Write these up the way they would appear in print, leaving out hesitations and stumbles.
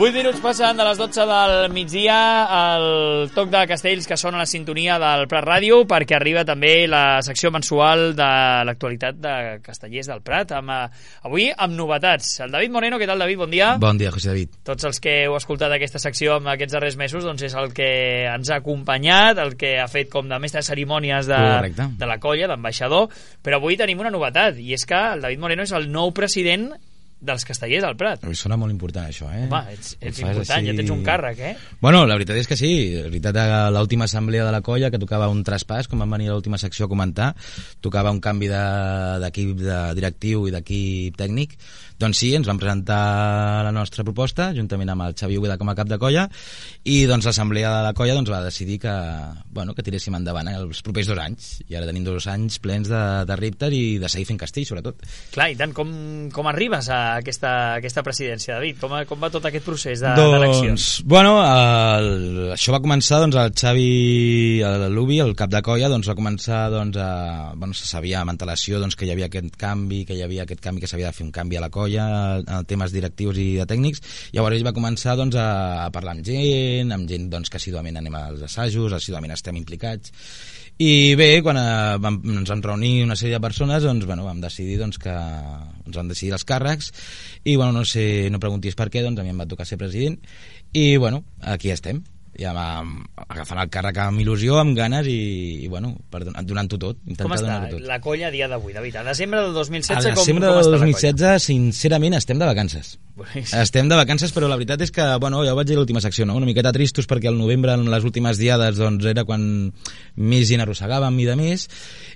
8 minuts passen de les 12 del migdia, el toc de Castells que sona a la sintonia del Prat Ràdio, perquè arriba també la secció mensual de l'actualitat de Castellers del Prat, avui amb novetats. El David Moreno, què tal, David? Bon dia. Bon dia, José David. Tots els que heu escoltat aquesta secció en aquests darrers mesos, doncs és el que ens ha acompanyat, el que ha fet com de mestre de cerimònies de la colla, d'ambaixador, però avui tenim una novetat, i és que el David Moreno és el nou president dels Castellers del Prat. Sona molt important, això, eh? Home, ets important, així... ja tens un càrrec, eh? Bueno, la veritat és que sí. La veritat, a l'última assemblea de la colla, que tocava un traspàs, com vam venir a l'última secció a comentar, tocava un canvi d'equip directiu i d'equip tècnic, doncs sí, ens van presentar la nostra proposta, juntament amb el Xavi Ubeda com a cap de colla, i doncs l'assemblea de la colla doncs, va decidir que tiréssim endavant els propers 2 anys, i ara tenim 2 anys plens de reptes i de seguir fent castell, sobretot. Clar, i tant, com arribes a aquesta presidència, David? Com va tot aquest procés d'eleccions? Bueno, això va començar, doncs, el Xavi l'Ubi, el cap de colla, doncs va començar, se sabia amb antelació doncs, que hi havia aquest canvi, que s'havia de fer un canvi a la colla, en temes directius i de tècnics. Llavors ell va començar doncs, a parlar amb gent doncs, que assiduament anem als assajos, assiduament estem implicats. I bé, quan ens vam reunir una sèrie de persones, doncs, vam decidir doncs, que ens van decidir els càrrecs, i no preguntis per què, doncs a mi em va tocar ser president, i aquí estem. Ja agafant el càrrec amb il·lusió, amb ganes i donant-ho tot. Com està la colla a dia d'avui, David? A desembre del 2016 com està la colla? A desembre del 2016, sincerament, estem de vacances. Estem de vacances, però la veritat és que, ja ho vaig dir a l'última secció, no? Una miqueta tristos perquè al novembre, en les últimes diades, doncs, era quan més gent arrossegàvem i de més,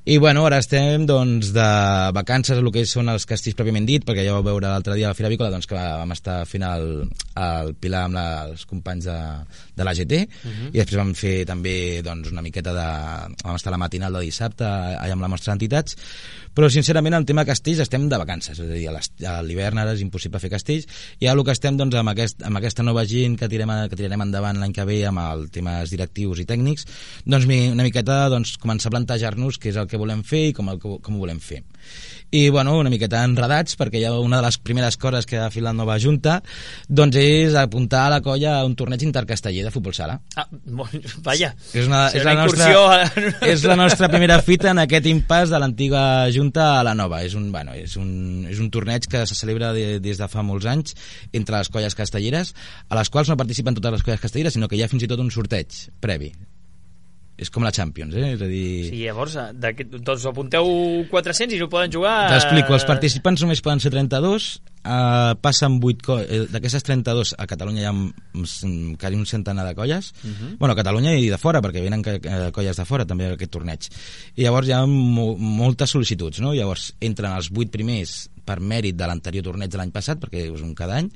i ara estem doncs, de vacances, el que són els castells pròpiament dit, perquè ja vau veure l'altre dia a la Fira Avícola doncs, que vam estar fent el Pilar amb els companys de l'AGT, i després vam fer també doncs, una miqueta vam estar a la matinal de dissabte allà amb la mostra d'entitats, però sincerament el tema castells estem de vacances, és a dir, a l'hivern ara és impossible fer castells, i ara el que estem doncs, amb aquesta nova gent que tirarem endavant l'any que ve amb els temes directius i tècnics, doncs una miqueta doncs, començar a plantejar-nos què és el que volem fer i com ho volem fer. I una miqueta enredats, perquè ja una de les primeres coses que ha fet la nova junta doncs és apuntar a la colla a un torneig intercasteller de futbol sala. Vaja, és la nostra primera fita en aquest impàs de l'antiga junta a la nova. És un torneig que se celebra des de fa molts anys entre les colles castelleres, a les quals no participen totes les colles castelleres, sinó que hi ha fins i tot un sorteig previ. És com la Champions, és a dir... Sí, llavors, doncs apunteu 400 i no poden jugar... T'explico, els participants només poden ser 32, passen 8 d'aquestes 32 a Catalunya hi ha quasi un centenar de colles, a Catalunya i de fora, perquè venen colles de fora també a aquest torneig, i llavors hi ha moltes sol·licituds, no? Llavors entren els 8 primers per mèrit de l'anterior torneig de l'any passat, perquè és un cada any,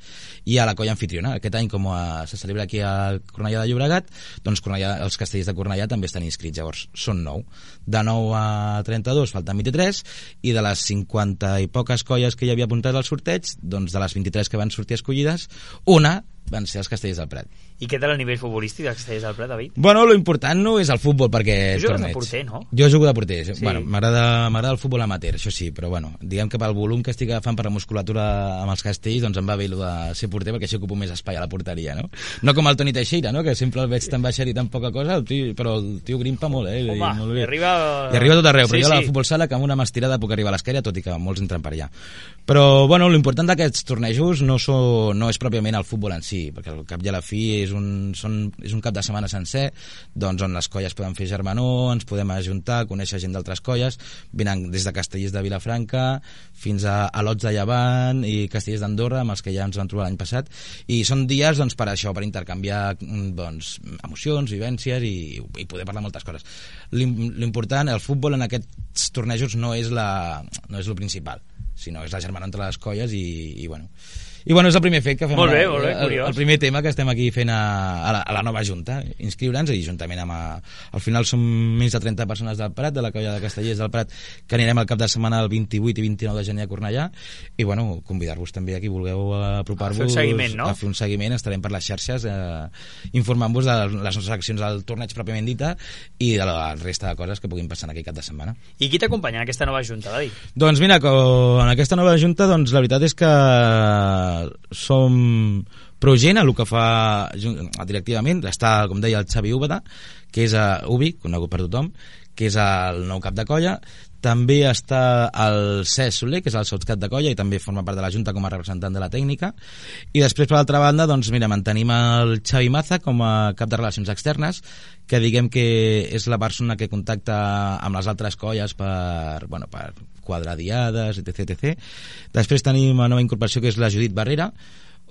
i a la colla anfitriona. Aquest any, com se celebra aquí a Cornellà de Llobregat, doncs els castellers de Cornellà també estan inscrits, llavors són 9. De 9 a 32 falten 23, i de les 50 i poques colles que hi havia apuntades al sorteig, doncs de les 23 que van sortir escollides, una van ser els Castellers del Prat. I què tal el nivell futbolístic dels Castellers del Prat, David? Lo important no és el futbol, perquè... Tu jugues de porter, no? Jo jugo de porter, sí. M'agrada el futbol amateur, això sí, però diguem que pel volum que estic agafant per la musculatura amb els castells, doncs em va bé el de ser porter, perquè així ocupo més espai a la porteria, no? No com el Toni Teixeira, no? Que sempre el veig tan baixet i tan poca cosa, però el tio grimpa molt, Home, molt bé. I arriba a tot arreu, però jo a la futbol sala que amb una mà estirada puc arribar a l'esquerra, tot i que molts entren per allà. Però, l'important d'aquests tornejos no és pròpiament el futbol en si, perquè al cap i a la fi és un cap de setmana sencer, doncs on les colles poden fer germanor, ens podem ajuntar, conèixer gent d'altres colles, venen des de castellers de Vilafranca fins a Lots de Llevant i castellers d'Andorra, amb els que ja ens vam trobar l'any passat, i són dies doncs, per això, per intercanviar doncs, emocions, vivències i poder parlar moltes coses. L'important, el futbol en aquests tornejos no és lo principal, sinó és la germana entre les colles i és el primer fet que fem, molt bé, curiós. El primer tema que estem aquí fent a la nova junta, inscriure'ns, i juntament amb al final som més de 30 persones del Prat, de la colla de Castellers del Prat, que anirem al cap de setmana el 28 i 29 de gener a Cornellà, i convidar-vos també a qui vulgueu apropar-vos a fer un seguiment, no? A fer un seguiment, estarem per les xarxes informant-vos de les nostres accions del torneig pròpiament dita i de la resta de coses que puguin passar en aquell cap de setmana. I qui t'acompanya en aquesta nova junta, David? Doncs mira, en aquesta nova junta, doncs la veritat és que som Progent, el que fa directivament, està, com deia, el Xavi Úbeda, que és Ubi, conegut per tothom, que és el nou cap de colla. També està el Cesc Soler, que és el sotscap de colla i també forma part de la Junta com a representant de la tècnica. I després, per l'altra banda, doncs mira, mantenim el Xavi Maza com a cap de relacions externes, que diguem que és la persona que contacta amb les altres colles per quadrar diades, etc. Després tenim una nova incorporació que és la Judit Barrera,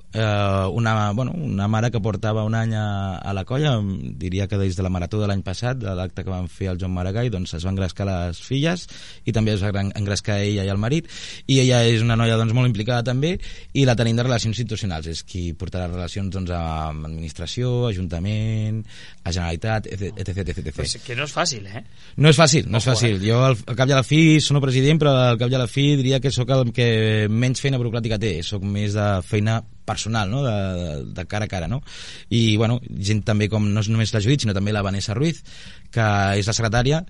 una mare que portava un any a la colla, diria que des de la marató de l'any passat, de l'acte que van fer el Joan Maragall, doncs es van engrescar les filles i també es va engrescar ella i el marit, i ella és una noia doncs molt implicada també, i la tenim de relacions institucionals, és qui portarà relacions doncs amb administració, ajuntament, a Generalitat, etc. Pues que no és fàcil, eh? No és fàcil. Jo al cap i a la fi sono president, però al cap i a la fi diria que sóc el que menys feina burocràtica té, sóc més de feina personal, no? De cara a cara, no? I bueno, gent també com no és només la Judit, sinó també la Vanessa Ruiz, que és la secretària,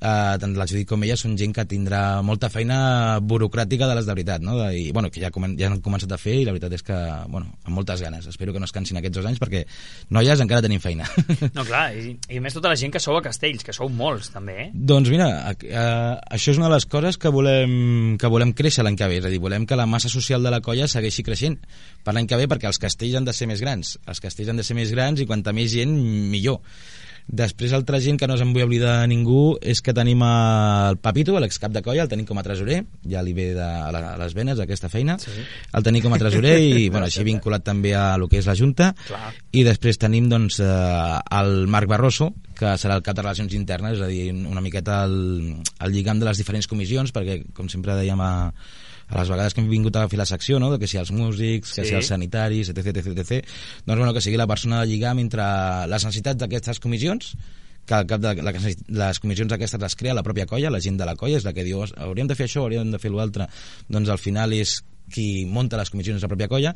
tant la Judit com ella són gent que tindrà molta feina burocràtica de les de veritat, no? I bueno, que ja han començat a fer, i la veritat és que, bueno, amb moltes ganes. Espero que no es cansin aquests 2 anys, perquè noies encara tenim feina. No, clar, i a més tota la gent que sou a Castells, que sou molts també, eh? Doncs mira, això és una de les coses que volem créixer l'any que ve, és a dir, volem que la massa social de la colla segueixi creixent per l'any que ve, perquè els castells han de ser més grans, i quanta més gent millor. Després, altra gent que no se'n vull oblidar de ningú és que tenim el Papito, l'excap de colla, el tenim com a tresorer, ja li ve a les venes aquesta feina, sí. El tenim com a tresorer i bueno, així vinculat també a lo que és la Junta. Clar. I després tenim doncs el Marc Barroso, que serà el cap de relacions internes, és a dir, una miqueta el lligam de les diferents comissions, perquè com sempre dèiem a les vegades que hem vingut a fer la secció, no? Que si els músics, que si els sanitaris, etc. Doncs bueno, que sigui la persona de lligam entre les necessitats d'aquestes comissions, que al cap de les comissions aquestes les crea la pròpia colla, la gent de la colla és la que diu hauríem de fer això, hauríem de fer l'altre, doncs al final és qui munta les comissions de la pròpia colla,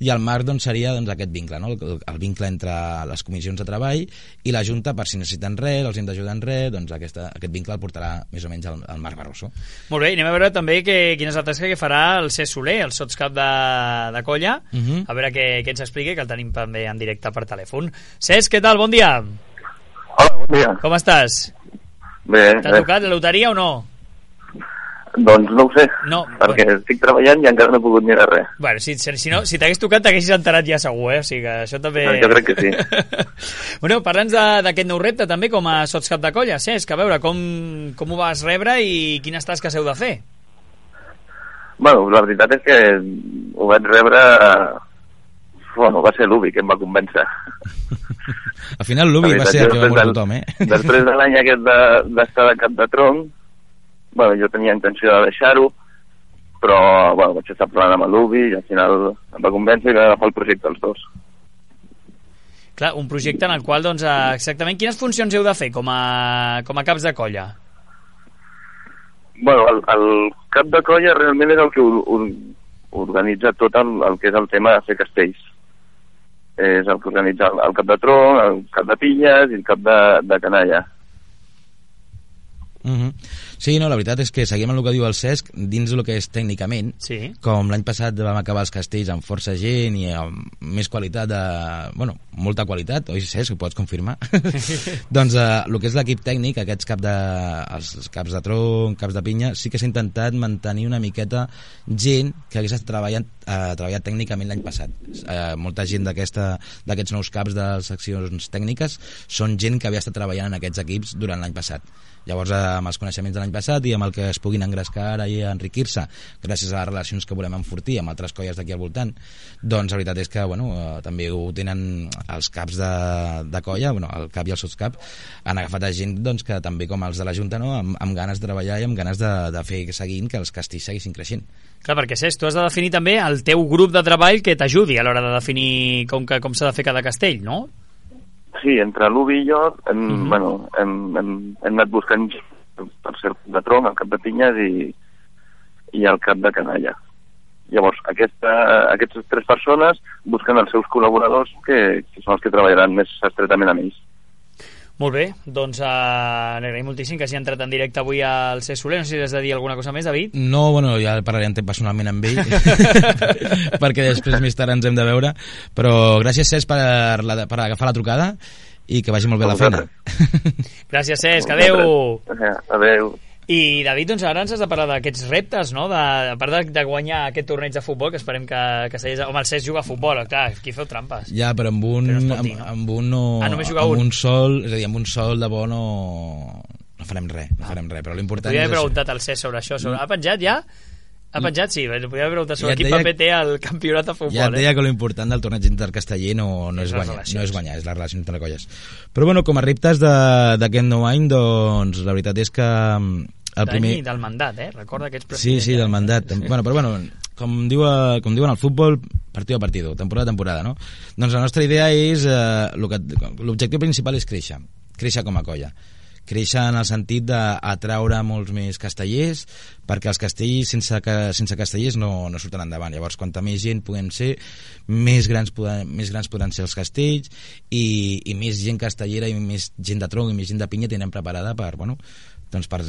i el Marc doncs, seria doncs, aquest vincle, no? El vincle entre les comissions de treball i la Junta, per si necessiten res, els hem d'ajudar en res, doncs aquest vincle el portarà més o menys el Marc Barroso. Molt bé, anem a veure també quina és la tasca que farà el Cesc Soler, el sotscap de colla, a veure què ens explica, que el tenim també en directe per telèfon. Cesc, què tal? Bon dia. Hola, bon dia. Com estàs? Bé. T'ha tocat la loteria o no? Doncs no ho sé, perquè estic treballant i encara no he pogut mirar res. Bueno, si t'hagués tocat t'haguessis enterat ja segur, eh? O sigui que això també... Jo crec que sí. Bueno, parla'ns d'aquest nou repte també com a sotscap de colla, Cesc, a veure com ho vas rebre i quines tasques heu de fer. Bueno, la veritat és que ho vaig rebre... Bueno, va ser l'Ubi que em va convèncer. Al final l'Ubi va ser el que va moure tothom, eh? Després de l'any aquest d'estar de cap de tronc, bueno, jo tenia intenció de deixar-ho, però bueno, vaig estar parlant amb l'Ubi i al final em va convèncer i vam agafar el projecte els dos. Clar, un projecte en el qual, doncs, exactament quines funcions heu de fer com a caps de colla? Bueno, el cap de colla realment és el que organitza tot el que és el tema de fer castells. És el que organitza el cap de tronc, el cap de pinyes i el cap de canalla. Sí, no, la veritat és que seguim el que diu el Cesc dins el que és tècnicament, com l'any passat vam acabar els castells amb força gent i amb més qualitat bueno, molta qualitat, oi Cesc, ho pots confirmar? Doncs el que és l'equip tècnic, els caps de tronc, caps de pinya, sí que s'ha intentat mantenir una miqueta gent que hagués treballat tècnicament l'any passat. Molta gent d'aquests nous caps de seccions tècniques són gent que havia estat treballant en aquests equips durant l'any passat. Llavors, amb els coneixements de l'any passat i amb el que es puguin engrescar ara i enriquir-se gràcies a les relacions que volem enfortir amb altres colles d'aquí al voltant, doncs la veritat és que bueno, també ho tenen els caps de colla, bueno, el cap i el sotscap han agafat a gent doncs, que també com els de la Junta, no? amb ganes de treballar i amb ganes de fer seguint que els castells seguissin creixent. Clar, perquè Cesc, tu has de definir també el teu grup de treball que t'ajudi a l'hora de definir com s'ha de fer cada castell, no? Sí, entre l'Ubi i jo hem anat buscant per ser el cap de tronc, el cap de pinyes i el cap de canalla. Llavors, aquestes 3 persones busquen els seus col·laboradors que són els que treballaran més estretament amb ells. Molt bé, doncs n'agraïm moltíssim que hagi entrat en directe avui al Cesc Soler. No sé si has de dir alguna cosa més, David. No, bueno, ja parlarem personalment amb ell perquè després més tard ens hem de veure, però gràcies, Cesc, per agafar la trucada i que vagi molt bé la feina. Gràcies, Cesc, adeu. Adeu. I David, doncs ara ens has de parlar d'aquests reptes, no? A part de guanyar aquest torneig de futbol, que esperem que Castellers... Home, el Cesc juga a futbol, clar, aquí feu trampes. Ja, però amb un no... només jugar un. Amb un sol, és a dir, amb un sol de bo no farem res, però l'important és... Podria haver preguntat al Cesc sobre això. Ha penjat ja? Ha penjat, sí. Podria haver preguntat sobre quin paper té el campionat de futbol. Ja et deia que l'important del torneig intercasteller no és guanyar, és la relació entre colles. Però bueno, com a reptes d'aquest nou any, doncs la veritat és que el primer... Del mandat, recorda que ets president. Sí, del mandat. Bueno, però bueno, com diuen al futbol, partido a partido, temporada a temporada, no? Doncs la nostra idea és... l'objectiu principal és créixer com a colla. Créixer en el sentit d'atraure molts més castellers, perquè els castells sense castellers no surten endavant. Llavors, quanta més gent puguem ser, més grans podran ser els castells i més gent castellera i més gent de tronc i més gent de pinya tindrem preparada per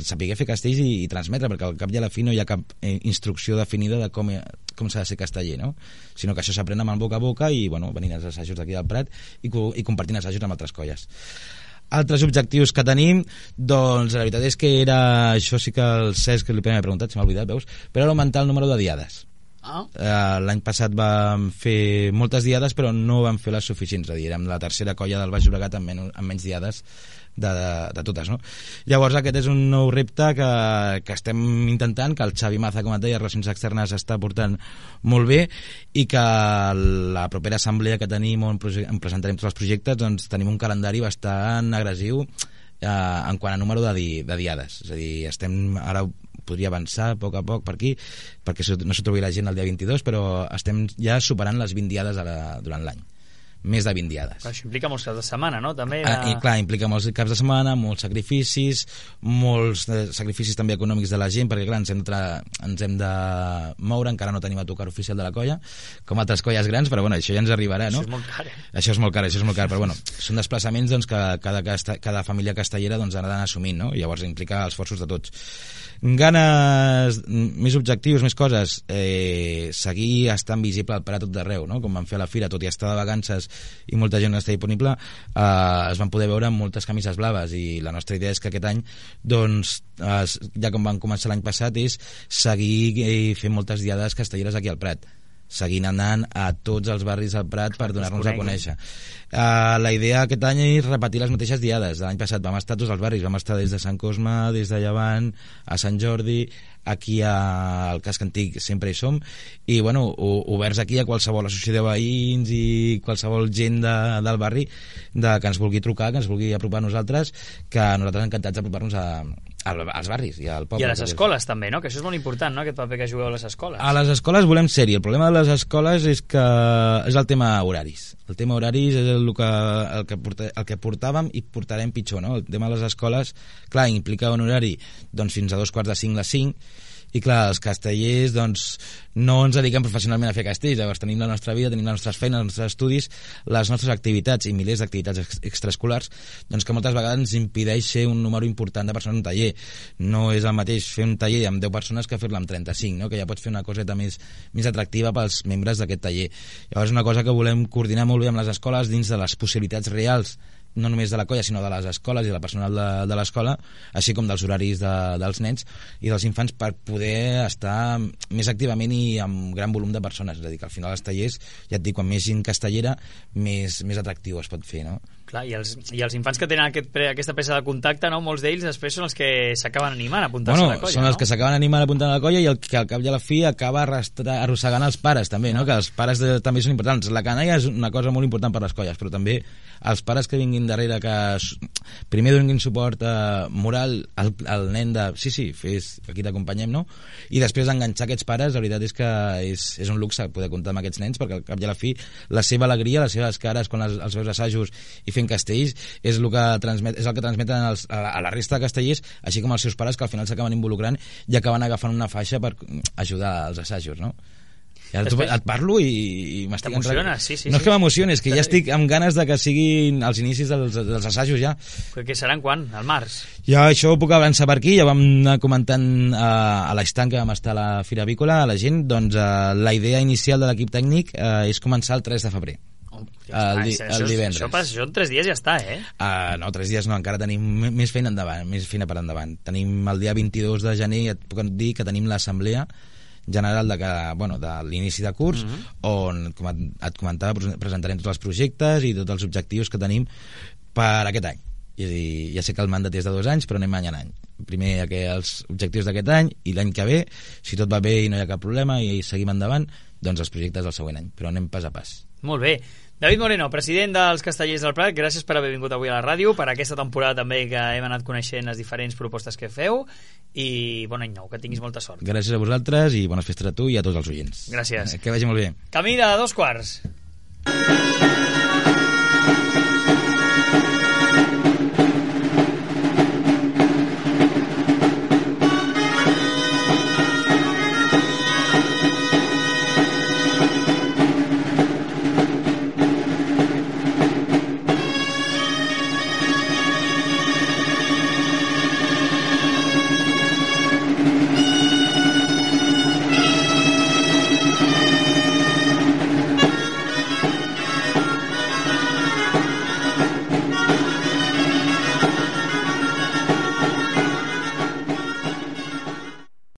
saber fer castells i transmetre, perquè al cap i a la fi no hi ha cap instrucció definida de com s'ha de ser casteller, no? Sinó que això s'aprèn amb el boca a boca i venint als assajos d'aquí del Prat i compartint assajos amb altres colles. Altres objectius que tenim, doncs la veritat és que era, això sí que el Cesc li m'ha preguntat, se m'ha oblidat, veus? Però era augmentar el número de diades. L'any passat vam fer moltes diades però no vam fer les suficients, és a dir, érem la tercera colla del Baix Llobregat amb menys diades de totes, no? Llavors aquest és un nou repte que estem intentant, que el Xavi Maza, com et deia, Relacions Externes està portant molt bé i que la propera assemblea que tenim on presentarem tots els projectes, doncs tenim un calendari bastant agressiu en quant a número de diades, és a dir, ara podria avançar a poc per aquí perquè no s'ho trobi la gent el dia 22, però estem ja superant les 20 diades durant l'any, més de 20 diades. Clar, això implica molts caps de setmana, no? També i clar, implica molts caps de setmana, molts sacrificis també econòmics de la gent, perquè clar, ens hem de moure, encara no tenim a tocar oficial de la colla, com altres colles grans, però bueno, això ja ens arribarà, no? Això és molt car, Això és molt car, però bueno, són desplaçaments doncs, que cada família castellera doncs, ha d'anar assumint, no? I llavors implica esforços de tots. Ganes, més objectius, més coses, seguir estant visible al Prat tot d'arreu, no? Com vam fer a la fira, tot i estar de vacances i molta gent no està disponible, es van poder veure amb moltes camises blaves i la nostra idea és que aquest any doncs, ja com vam començar l'any passat, és seguir fent moltes diades castelleres aquí al Prat, seguint anant a tots els barris del Prat per donar-nos a conèixer. La idea aquest any és repetir les mateixes diades. L'any passat vam estar a tots els barris, vam estar des de Sant Cosme, des de Llevant, a Sant Jordi, aquí al Casc Antic sempre hi som, i bueno, oberts aquí a qualsevol associació de veïns i qualsevol gent del barri que ens vulgui trucar, que ens vulgui apropar a nosaltres, que nosaltres encantats d'apropar-nos als barris i al poble. I a les escoles també, no? Que això és molt important, no? Aquest paper que jugueu a les escoles. A les escoles volem ser-hi. El problema de les escoles és que és el tema horaris. El tema horaris és el que portàvem i portarem pitjor, no? El tema de les escoles, clar, implica un horari doncs, fins a 4:45 les 5, i clar, els castellers doncs, no ens dediquem professionalment a fer castells, llavors tenim la nostra vida, tenim les nostres feines, els nostres estudis, les nostres activitats i milers d'activitats extraescolars, doncs que moltes vegades ens impedeix ser un número important de persones en un taller. No és el mateix fer un taller amb 10 persones que fer-la amb 35, no? Que ja pots fer una coseta més atractiva pels membres d'aquest taller. Llavors és una cosa que volem coordinar molt bé amb les escoles dins de les possibilitats reals, no només de la colla sinó de les escoles i del personal de l'escola, així com dels horaris dels nens i dels infants, per poder estar més activament i amb gran volum de persones. És a dir, que al final els tallers, ja et dic, quan més gent castellera més atractiu es pot fer, no? Clar, i els infants que tenen aquesta presa de contacte, no? Molts d'ells després són els que s'acaben animant a apuntar-se a la colla. Són els que s'acaben animant a apuntar a la colla i el que al cap i a la fi acaba arrossegant els pares també, no? Que els pares també són importants. La canalla és una cosa molt important per les colles, però també els pares que vinguin darrere, que primer donin suport moral al nen de sí, fes, aquí t'acompanyem, no? I després d'enganxar aquests pares, la veritat és que és un luxe poder comptar amb aquests nens, perquè al cap i a la fi la seva alegria, les seves cares quan els veus assajos i fent castells és el que transmeten a la resta de castellers, així com els seus pares, que al final s'acaben involucrant i acaben agafant una faixa per ajudar als assajos, no? Et parlo i m'estic... T'emociones, sí. No és que m'emocioni, és que ja estic amb ganes de que siguin els inicis dels assajos ja. Que seran quan? Al març? Ja això ho puc avançar per aquí, ja vam anar comentant a l'estant que vam estar a la Fira Avícola, a la gent, doncs la idea inicial de l'equip tècnic és començar el 3 de febrer. El divendres. Això en 3 dies ja està, No, 3 dies no, encara tenim més feina endavant, més feina per endavant. Tenim el dia 22 de gener, et puc dir que tenim l'assemblea general de l'inici de curs, on, com et comentava, presentarem tots els projectes i tots els objectius que tenim per aquest any. És a dir, ja sé que el mandat és de 2 anys, però anem any en any. Primer els objectius d'aquest any, i l'any que ve, si tot va bé i no hi ha cap problema i seguim endavant, doncs els projectes del següent any, però anem pas a pas. Molt bé. David Moreno, president dels Castellers del Prat, gràcies per haver vingut avui a la ràdio, per aquesta temporada també que hem anat coneixent les diferents propostes que feu, i bon any nou, que tinguis molta sort. Gràcies a vosaltres i bones festes a tu i a tots els oients. Gràcies. Que vagi molt bé. Camí de 2 quarts.